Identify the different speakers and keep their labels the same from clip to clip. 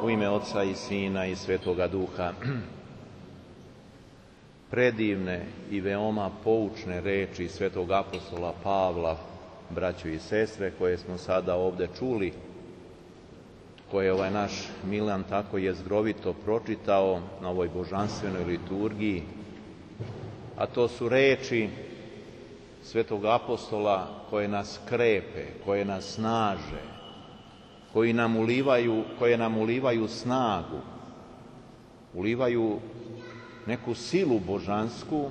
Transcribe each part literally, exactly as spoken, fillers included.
Speaker 1: U ime Oca i Sina i Svetoga Duha. Predivne i veoma poučne reči svetog apostola Pavla, braćo i sestre, koje smo sada ovde čuli, koje je ovaj naš Milan tako jezgrovito pročitao na ovoj božanstvenoj liturgiji, a to su reči svetog apostola koje nas krepe, koje nas snaže, koji nam ulivaju, koje nam ulivaju snagu, ulivaju neku silu božansku,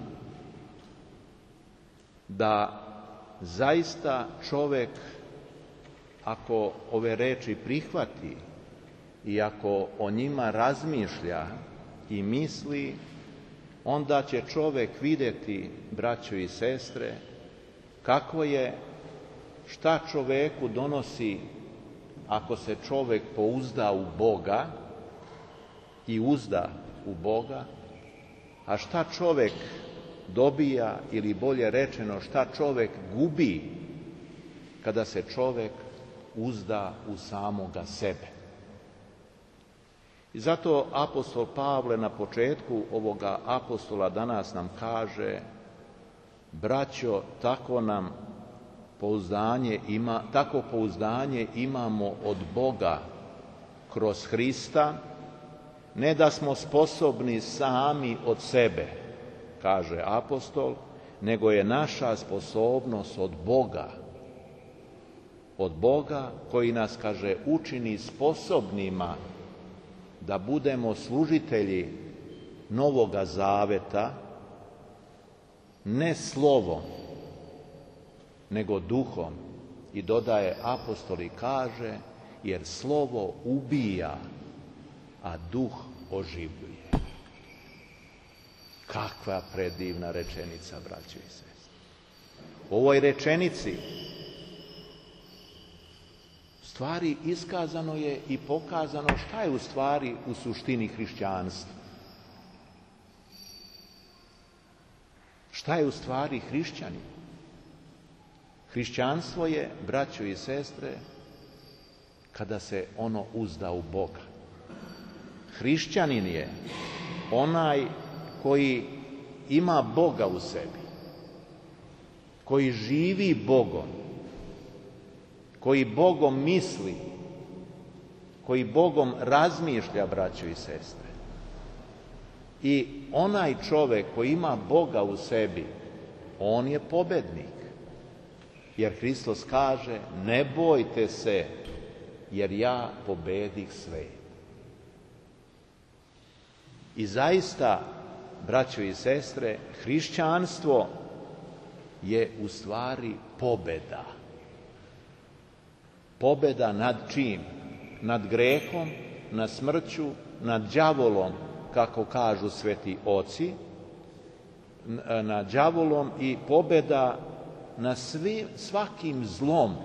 Speaker 1: da zaista čovek, ako ove reči prihvati i ako o njima razmišlja i misli, onda će čovek vidjeti, braćo i sestre, kako je, šta čoveku donosi ako se čovek pouzda u Boga i uzda u Boga, a šta čovek dobija, ili bolje rečeno, šta čovek gubi kada se čovek uzda u samoga sebe. I zato apostol Pavle na početku ovoga apostola danas nam kaže: braćo, tako nam pouzdanje ima, tako pouzdanje imamo od Boga kroz Hrista, ne da smo sposobni sami od sebe, kaže apostol, nego je naša sposobnost od Boga. Od Boga koji nas, kaže, učini sposobnima da budemo služitelji Novoga Zaveta, ne slovom, nego duhom. I dodaje apostol i kaže: jer slovo ubija, a duh oživljuje. Kakva predivna rečenica, braćo i sestre. U ovoj rečenici u stvari iskazano je i pokazano šta je u stvari u suštini hrišćanstva. Šta je u stvari hrišćanin? Hrišćanstvo je, braćo i sestre, kada se ono uzda u Boga. Hrišćanin je onaj koji ima Boga u sebi, koji živi Bogom, koji Bogom misli, koji Bogom razmišlja, braćo i sestre. I onaj čovek koji ima Boga u sebi, on je pobednik. Jer Hristos kaže: ne bojte se, jer ja pobedih svet. I zaista, braćo i sestre, hrišćanstvo je u stvari pobeda. Pobeda nad čim? Nad grehom, nad smrću, nad đavolom, kako kažu sveti oci, nad đavolom, i pobeda na svim, svakim zlom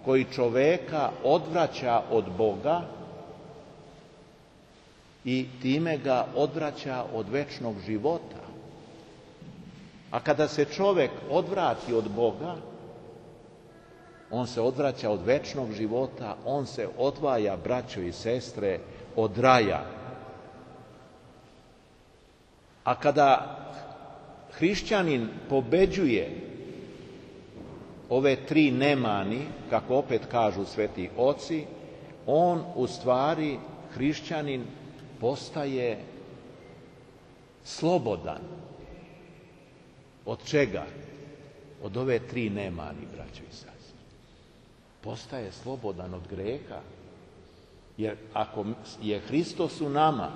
Speaker 1: koji čoveka odvraća od Boga i time ga odvraća od večnog života. A kada se čovek odvrati od Boga, on se odvraća od večnog života, on se odvaja, braćo i sestre, od raja. A kada hrišćanin pobeđuje ove tri nemani, kako opet kažu sveti oci, on u stvari, hrišćanin, postaje slobodan. Od čega? Od ove tri nemani, braćo i sestre. Postaje slobodan od greha. Jer ako je Hristos u nama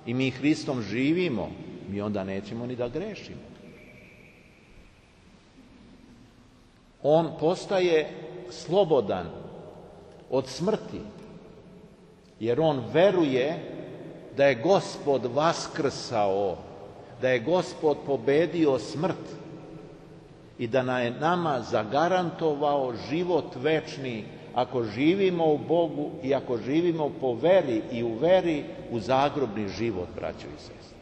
Speaker 1: i mi Hristom živimo, mi onda nećemo ni da grešimo. On postaje slobodan od smrti, jer on veruje da je Gospod vaskrsao, da je Gospod pobedio smrt i da nam je nama zagarantovao život večni ako živimo u Bogu i ako živimo po veri i u veri u zagrobni život, braćo i sestre.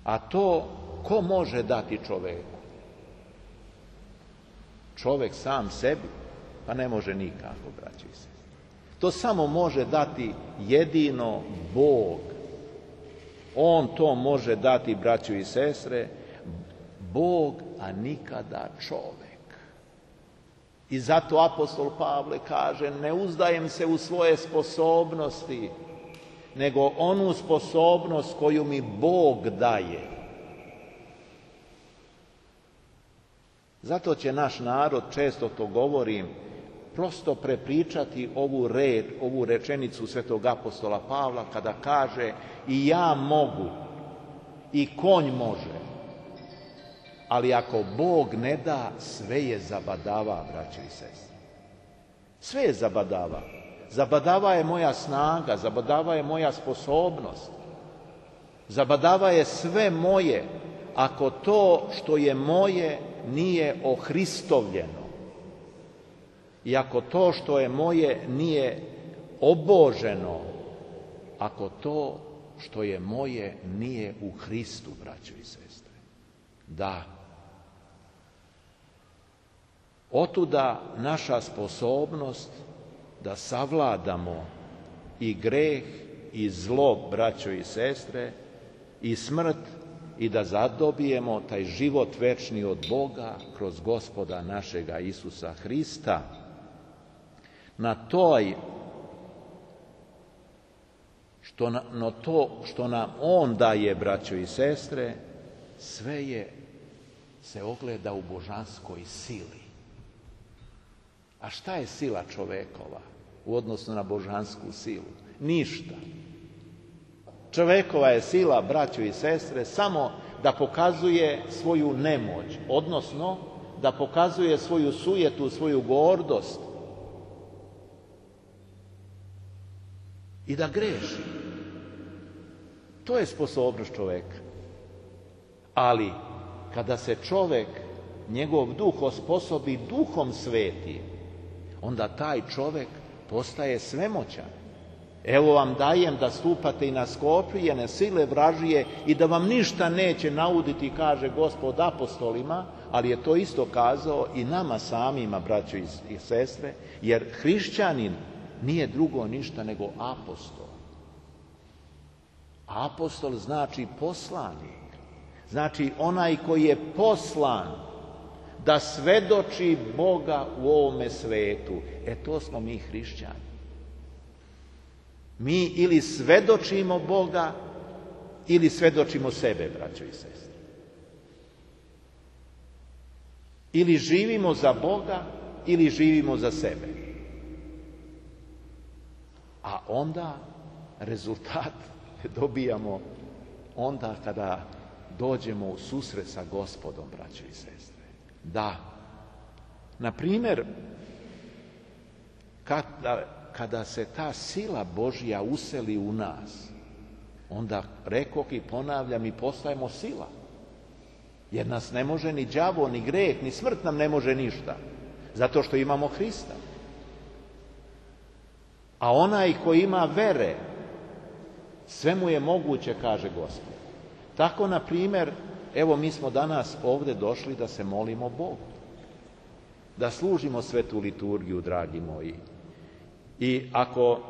Speaker 1: A to ko može dati čoveku? Čovek sam sebi? Pa ne može nikako, braćo i sestre. To samo može dati jedino Bog. On to može dati, braćo i sestre, Bog, a nikada čovek. I zato apostol Pavle kaže, ne uzdajem se u svoje sposobnosti, nego onu sposobnost koju mi Bog daje. Zato će naš narod, često to govorim, prosto prepričati ovu, red, ovu rečenicu svetog apostola Pavla kada kaže i ja mogu, i konj može, ali ako Bog ne da, sve je zabadava, braćo i sestre. Sve je zabadava. Zabadava je moja snaga, zabadava je moja sposobnost, zabadava je sve moje, ako to što je moje nije ohristovljeno. I ako to što je moje nije oboženo, ako to što je moje nije u Hristu, braćo i sestre. Da. Otuda naša sposobnost da savladamo i greh i zlo, braćo i sestre, i smrt, i da zadobijemo taj život večni od Boga kroz Gospoda našega Isusa Hrista. Na toj, što, na, no to što nam On daje, braćo i sestre, sve je, se ogleda u božanskoj sili. A šta je sila čovekova u odnosu na božansku silu? Ništa. Čovekova je sila, braćo i sestre, samo da pokazuje svoju nemoć, odnosno da pokazuje svoju sujetu, svoju gordost i da greši. To je sposobnost čoveka. Ali kada se čovek, njegov duh osposobi duhom svetim, onda taj čovek postaje svemoćan. Evo vam dajem da stupate i na skoprijene sile vražije i da vam ništa neće nauditi, kaže Gospod apostolima, ali je to isto kazao i nama samima, braćo i sestre, jer hrišćanin nije drugo ništa nego apostol. Apostol znači poslanik, znači onaj koji je poslan da svedoči Boga u ovome svetu. E to smo mi hrišćani. Mi ili svedočimo Boga, ili svedočimo sebe, braćo i sestre. Ili živimo za Boga, ili živimo za sebe. A onda rezultat dobijamo onda kada dođemo u susret sa Gospodom, braćo i sestre. Da, na primjer, kada, kada se ta sila Božja useli u nas, onda rekoh i ponavljam, i postajemo sila. Jer nas ne može ni đavo, ni greh, ni smrt nam ne može ništa. Zato što imamo Hrista. A onaj koji ima vere, sve mu je moguće, kaže Gospod. Tako, na primjer, evo mi smo danas ovdje došli da se molimo Bogu. Da služimo svetu liturgiju, dragi moji. I ako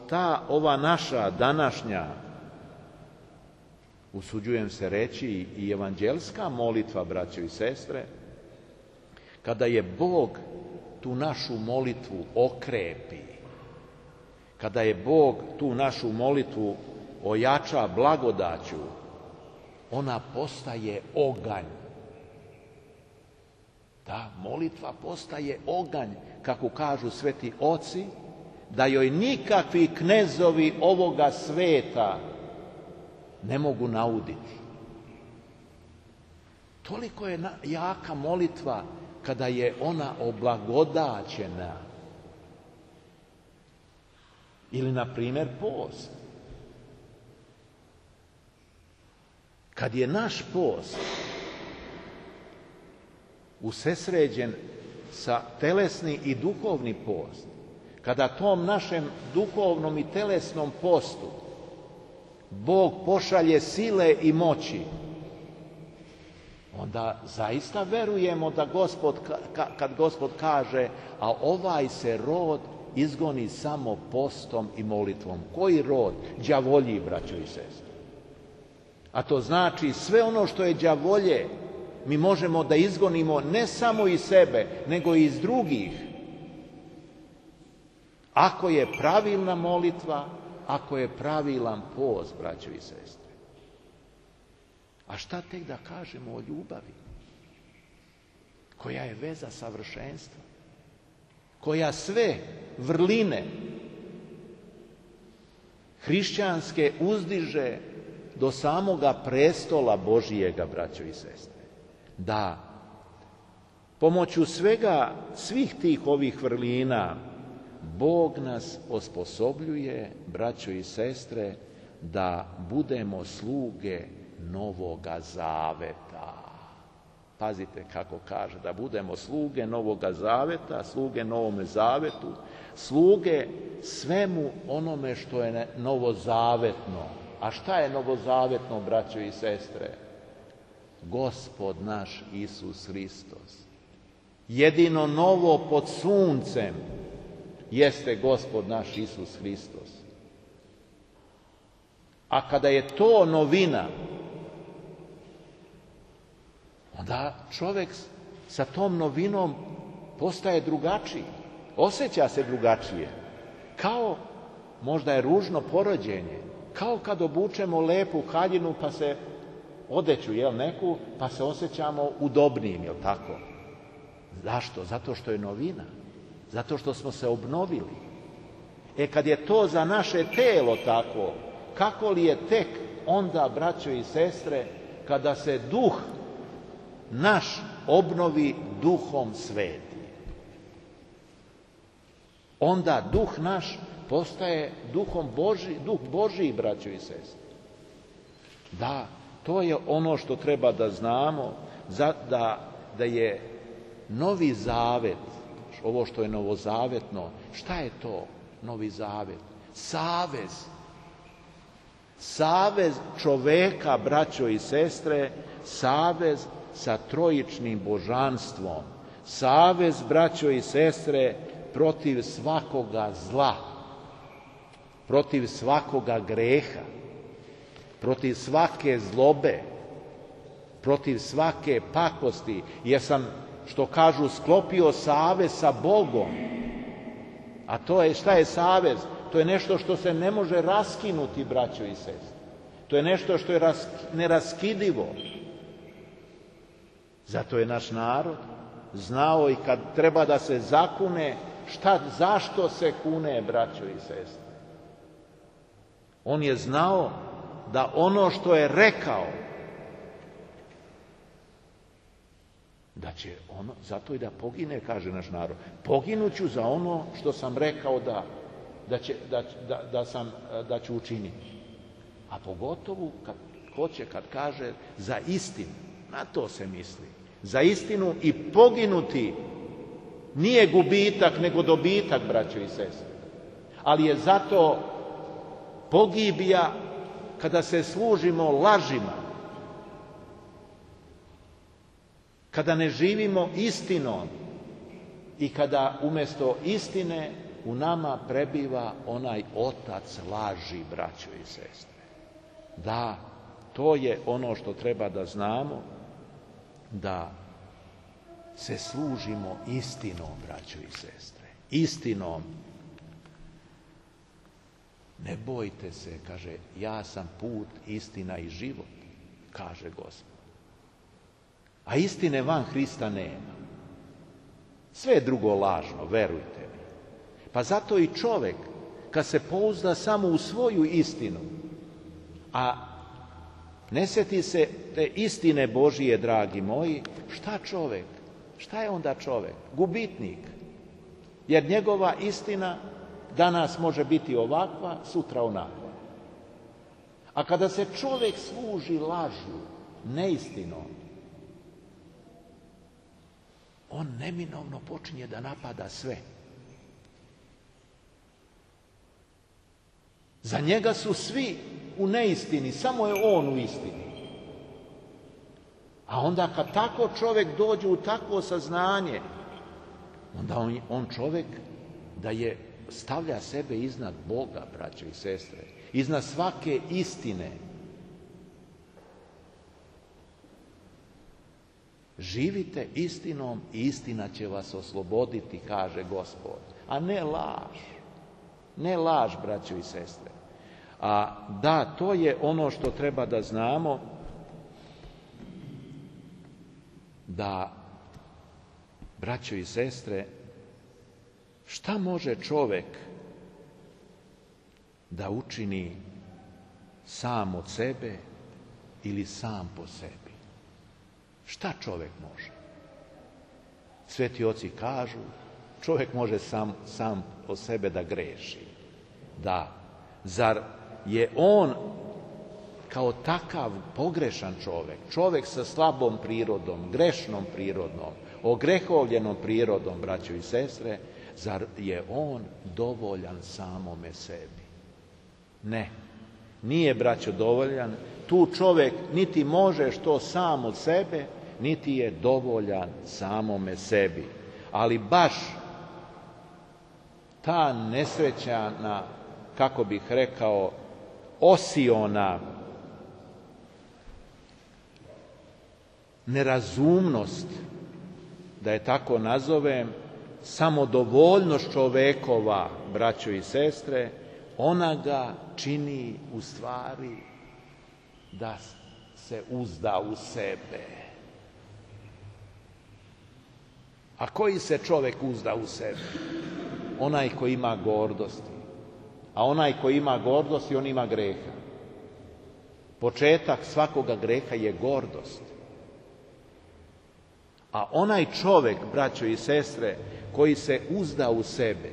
Speaker 1: ta, ova naša današnja, usuđujem se reći, i evanđelska molitva, braćo i sestre, kada je Bog tu našu molitvu okrepi, kada je Bog tu našu molitvu ojača blagodaću, ona postaje oganj. Ta molitva postaje oganj, kako kažu sveti oci, da joj nikakvi knezovi ovoga sveta ne mogu nauditi. Toliko je jaka molitva kada je ona oblagodaćena. Ili, na primjer, post. Kad je naš post usesređen sa telesni i duhovni post, kada tom našem duhovnom i telesnom postu Bog pošalje sile i moći, onda zaista verujemo da Gospod, kad Gospod kaže, a ovaj se rod izgoni samo postom i molitvom. Koji rod? Đavolji, braćo i sestre. A to znači sve ono što je đavolje mi možemo da izgonimo ne samo iz sebe, nego i iz drugih. Ako je pravilna molitva, ako je pravilan post, braćo i sestre. A šta tek da kažemo o ljubavi, koja je veza savršenstva, koja sve vrline hrišćanske uzdiže do samoga prestola Božijega, braćo i sestre. Da, pomoću svega, svih tih ovih vrlina, Bog nas osposobljuje, braćo i sestre, da budemo sluge Novoga Zaveta. Pazite kako kaže, da budemo sluge Novoga Zaveta, sluge Novome Zavetu, sluge svemu onome što je novozavetno. A šta je novozavetno, braćo i sestre? Gospod naš Isus Hristos. Jedino novo pod suncem jeste Gospod naš Isus Hristos. A kada je to novina, onda čovjek sa tom novinom postaje drugačiji, osjeća se drugačije. Kao, možda je ružno porođenje, kao kad obučemo lepu haljinu pa se odeću, jel, neku, pa se osjećamo udobnijim, jel tako? Zašto? Zato što je novina. Zato što smo se obnovili. E kad je to za naše telo tako, kako li je tek onda, braćo i sestre, kada se duh naš obnovi Duhom Svetim? Onda duh naš postaje duhom Božji, duh Božji, braćo i sestre. Da, to je ono što treba da znamo, da, da je Novi Zavet, ovo što je novozavetno, šta je to Novi Zavet? Savez. Savez čoveka, braćo i sestre, savez sa trojičnim božanstvom. Savez, braćo i sestre, protiv svakoga zla, protiv svakoga greha, protiv svake zlobe, protiv svake pakosti, jer sam, što kažu, sklopio savez sa Bogom. A to je, šta je savez? To je nešto što se ne može raskinuti, braćo i sestre. To je nešto što je ras, neraskidivo. Zato je naš narod znao i kad treba da se zakune, šta, zašto se kune, braćo i sestre. On je znao da ono što je rekao, da će ono, zato i da pogine, kaže naš narod. Poginuću za ono što sam rekao da, da, će, da, da, da, sam, da ću učiniti. A pogotovo kad hoće, kad kaže za istinu, na to se misli. Za istinu i poginuti nije gubitak, nego dobitak, braćo i sestre. Ali je zato pogibija kada se služimo lažima, kada ne živimo istinom i kada umjesto istine u nama prebiva onaj otac laži, braćo i sestre. Da, to je ono što treba da znamo, da se služimo istinom, braćo i sestre. Istinom. Ne bojte se, kaže, ja sam put, istina i život, kaže Gospod. A istine van Hrista nema. Sve je drugo lažno, verujte mi. Pa zato i čovjek, kad se pouzda samo u svoju istinu, a ne sjeti se te istine Božije, dragi moji, šta čovjek? Šta je onda čovjek? Gubitnik. Jer njegova istina danas može biti ovakva, sutra onakva. A kada se čovjek služi lažu, neistinom, on neminovno počinje da napada sve. Za njega su svi u neistini, samo je on u istini. A onda kad tako čovjek dođe u takvo saznanje, onda on, on čovjek da je stavlja sebe iznad Boga, braćo i sestre, iznad svake istine. Živite istinom i istina će vas osloboditi, kaže Gospod, a ne laž. Ne laž, braćo i sestre. A da, to je ono što treba da znamo, da, braćo i sestre, šta može čovek da učini sam od sebe ili sam po sebi? Šta čovek može? Sveti oci kažu, čovek može sam, sam o sebe da greši. Da, zar je on kao takav pogrešan čovek, čovek sa slabom prirodom, grešnom prirodom, ogrehovljenom prirodom, braćo i sestre, zar je on dovoljan samome sebi? Ne, nije, braćo, dovoljan. Tu čovek niti može što sam od sebe, niti je dovoljan samome sebi. Ali baš ta nesrećana, kako bih rekao, osiona nerazumnost, da je tako nazovem, samodovoljnost čovekova, braćo i sestre, ona ga čini u stvari da se uzda u sebe. A koji se čovek uzda u sebe? Onaj koji ima gordosti. A onaj koji ima gordosti, on ima greha. Početak svakoga greha je gordost. A onaj čovek, braćo i sestre, koji se uzda u sebe,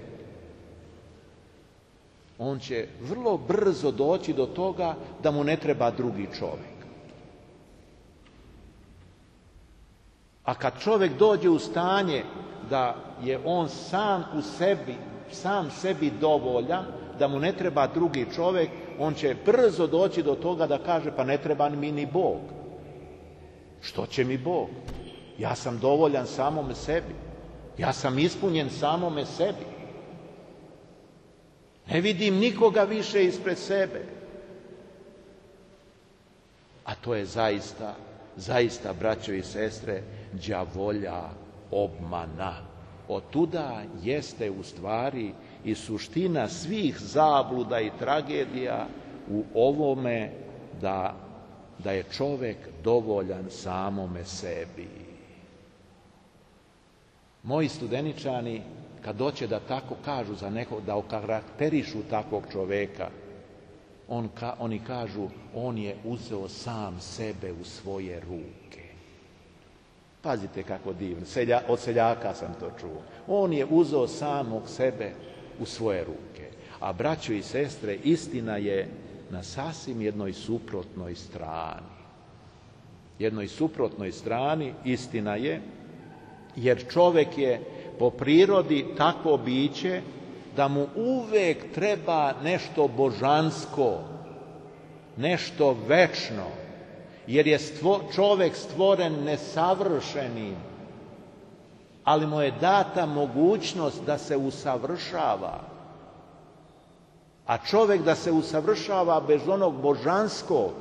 Speaker 1: on će vrlo brzo doći do toga da mu ne treba drugi čovek. A kad čovek dođe u stanje da je on sam u sebi, sam sebi dovoljan, da mu ne treba drugi čovek, on će brzo doći do toga da kaže, pa ne treba mi ni Bog. Što će mi Bog? Ja sam dovoljan samome sebi. Ja sam ispunjen samome sebi. Ne vidim nikoga više ispred sebe. A to je zaista, zaista, braćo i sestre, đavolja obmana. Otuda jeste u stvari i suština svih zabluda i tragedija u ovome da, da je čovek dovoljan samome sebi. Moji studeničani, kad doće da tako kažu za nekog, da okarakterišu takvog čoveka, on ka, oni kažu, on je uzeo sam sebe u svoje ruke. Pazite kako divno, Selja, od seljaka sam to čuo. On je uzeo samog sebe u svoje ruke. A braćo i sestre, istina je na sasvim jednoj suprotnoj strani. Jednoj suprotnoj strani istina je, jer čovek je po prirodi takvo biće da mu uvek treba nešto božansko, nešto večno, jer je stvo, čovek stvoren nesavršenim, ali mu je data mogućnost da se usavršava. A čovek da se usavršava bez onog božanskog,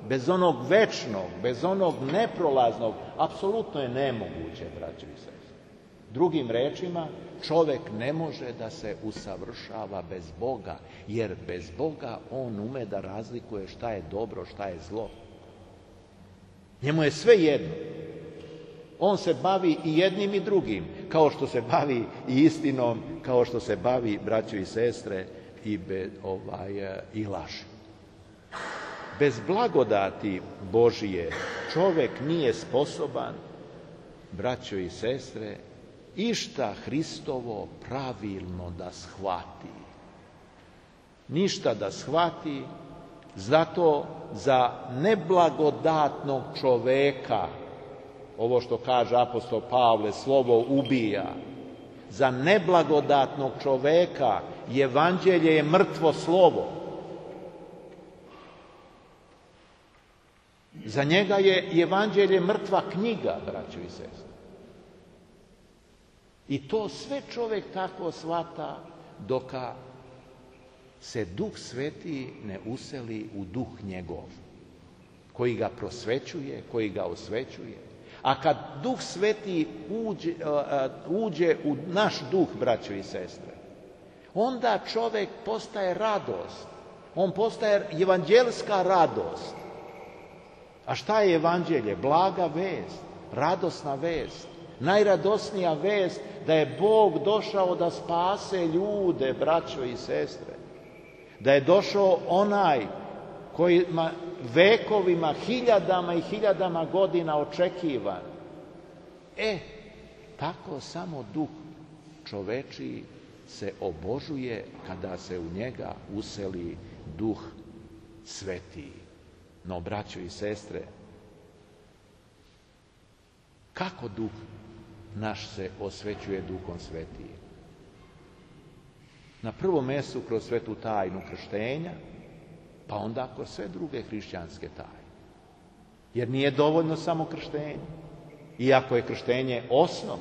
Speaker 1: bez onog večnog, bez onog neprolaznog, apsolutno je nemoguće, braćo i sestre. Drugim rečima, čovek ne može da se usavršava bez Boga, jer bez Boga on ume da razlikuje šta je dobro, šta je zlo. Njemu je sve jedno. On se bavi i jednim i drugim, kao što se bavi i istinom, kao što se bavi, braćo i sestre, i, be, ovaj, i laži. Bez blagodati Božije čovek nije sposoban, braćo i sestre, išta Hristovo pravilno da shvati. Ništa da shvati, zato za neblagodatnog čoveka, ovo što kaže apostol Pavle, slovo ubija, za neblagodatnog čoveka evanđelje je mrtvo slovo. Za njega je evanđelje mrtva knjiga, braćo i sestre. I to sve čovek tako shvata dok se Duh Sveti ne useli u duh njegov, koji ga prosvećuje, koji ga osvećuje. A kad Duh Sveti uđe, uđe u naš duh, braćo i sestre, onda čovjek postaje radost. On postaje evanđelska radost. A šta je evanđelje? Blaga vest, radosna vest. Najradosnija vest da je Bog došao da spase ljude, braćo i sestre. Da je došao onaj koji vekovima, hiljadama i hiljadama godina očekivan. E, tako samo duh čovečiji se obožuje kada se u njega useli Duh Sveti. No, braćo i sestre, kako Duh naš se osvećuje Duhom Svetim? Na prvom mjestu kroz svetu tajnu krštenja, pa onda kroz sve druge hrišćanske tajne. Jer nije dovoljno samo krštenje. Iako je krštenje osnov,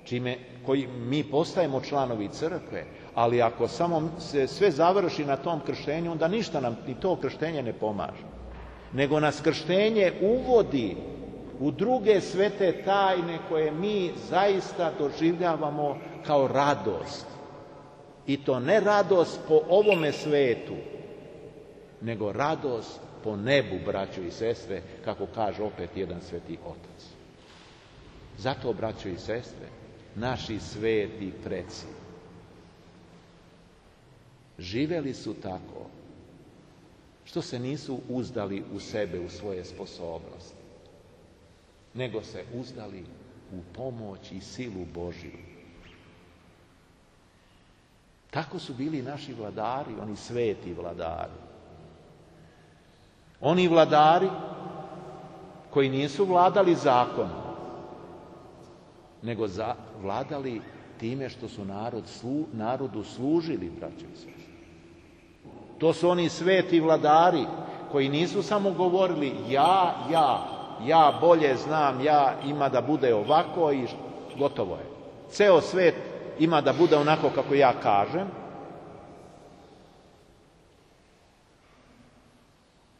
Speaker 1: čime koji mi postajemo članovi crkve, ali ako samo se sve završi na tom krštenju, onda ništa nam ni to krštenje ne pomaže. Nego nas krštenje uvodi u druge svete tajne koje mi zaista doživljavamo kao radost. I to ne radost po ovome svetu, nego radost po nebu, braćo i sestre, kako kaže opet jedan sveti otac. Zato, braćo i sestre, naši sveti preci živeli su tako što se nisu uzdali u sebe, u svoje sposobnosti, nego se uzdali u pomoć i silu Božju. Tako su bili naši vladari, oni sveti vladari. Oni vladari koji nisu vladali zakonom, nego za, vladali time što su narod, slu, narodu služili, braćo i sestre. To su oni sveti vladari koji nisu samo govorili ja, ja, ja bolje znam, ja ima da bude ovako i gotovo je. Ceo svet ima da bude onako kako ja kažem.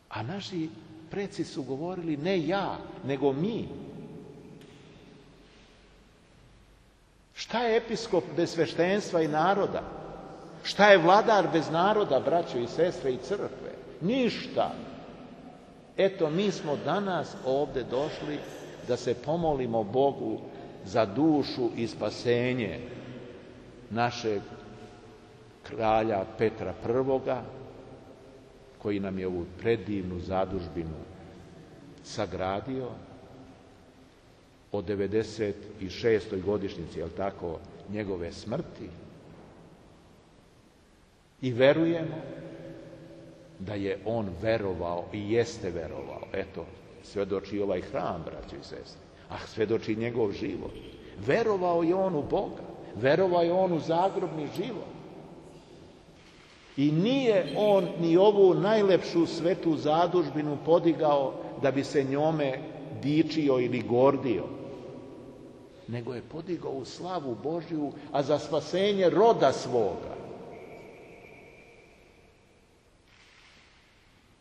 Speaker 1: A naši preci su govorili ne ja, nego mi. Šta je episkop bez sveštenstva i naroda? Šta je vladar bez naroda, braćo i sestre i crkve? Ništa. Eto, mi smo danas ovdje došli da se pomolimo Bogu za dušu i spasenje našeg kralja Petra Prvoga, koji nam je ovu predivnu zadužbinu sagradio od devedeset šestoj godišnjici, jel tako, njegove smrti. I verujemo da je on verovao i jeste verovao. Eto, svedoči ovaj hram, braćo i sestre, a svedoči njegov život. Verovao je on u Boga, verovao je on u zagrobni život. I nije on ni ovu najlepšu svetu zadužbinu podigao da bi se njome dičio ili gordio, nego je podigao u slavu Božju, a za spasenje roda svoga.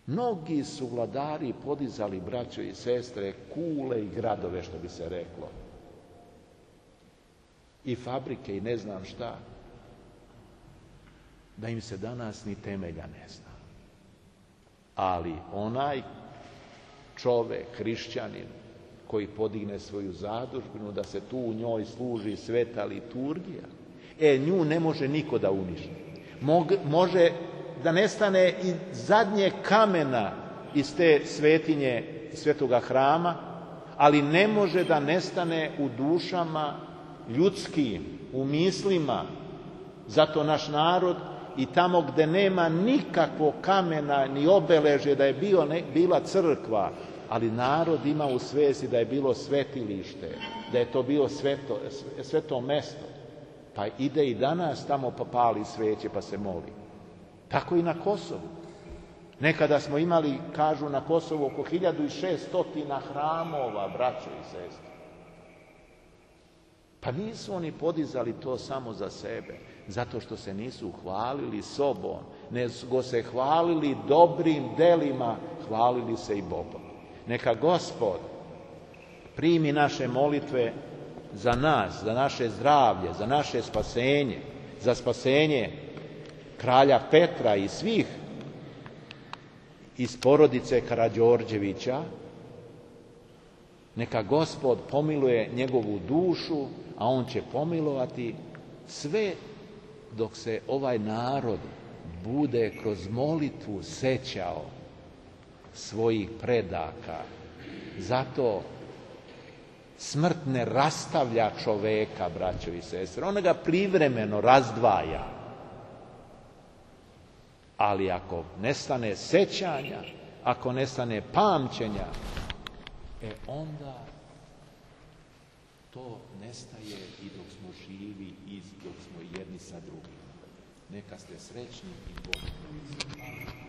Speaker 1: Mnogi su vladari podizali, braćo i sestre, kule i gradove, što bi se reklo. I fabrike i ne znam šta. Da im se danas ni temelja ne zna. Ali onaj čovek, hrišćanin, koji podigne svoju zadužbinu, da se tu u njoj služi sveta liturgija, e, nju ne može niko da uništi. Mog, može da nestane i zadnje kamena iz te svetinje, svetoga hrama, ali ne može da nestane u dušama ljudskim, u mislima. Zato naš narod i tamo gde nema nikakvog kamena ni obeležje da je bio, ne, bila crkva, ali narod ima u svesti da je bilo svetilište, da je to bilo sveto, sveto mesto. Pa ide i danas tamo pa pali sveće pa se moli. Tako i na Kosovu. Nekada smo imali, kažu, na Kosovu oko hiljadu šeststo hramova, braćo i sestre. Pa nisu oni podizali to samo za sebe, zato što se nisu hvalili sobom, nego se hvalili dobrim delima, hvalili se i Bogom. Neka Gospod primi naše molitve za nas, za naše zdravlje, za naše spasenje, za spasenje kralja Petra i svih iz porodice Karađorđevića. Neka Gospod pomiluje njegovu dušu, a on će pomilovati sve dok se ovaj narod bude kroz molitvu sećao svojih predaka. Zato smrt ne rastavlja čoveka, braćo i sestre, ona ga privremeno razdvaja. Ali ako nestane sećanja, ako nestane pamćenja, e onda to nestaje i dok smo živi i dok smo jedni sa drugim. Neka ste srećni i Bog.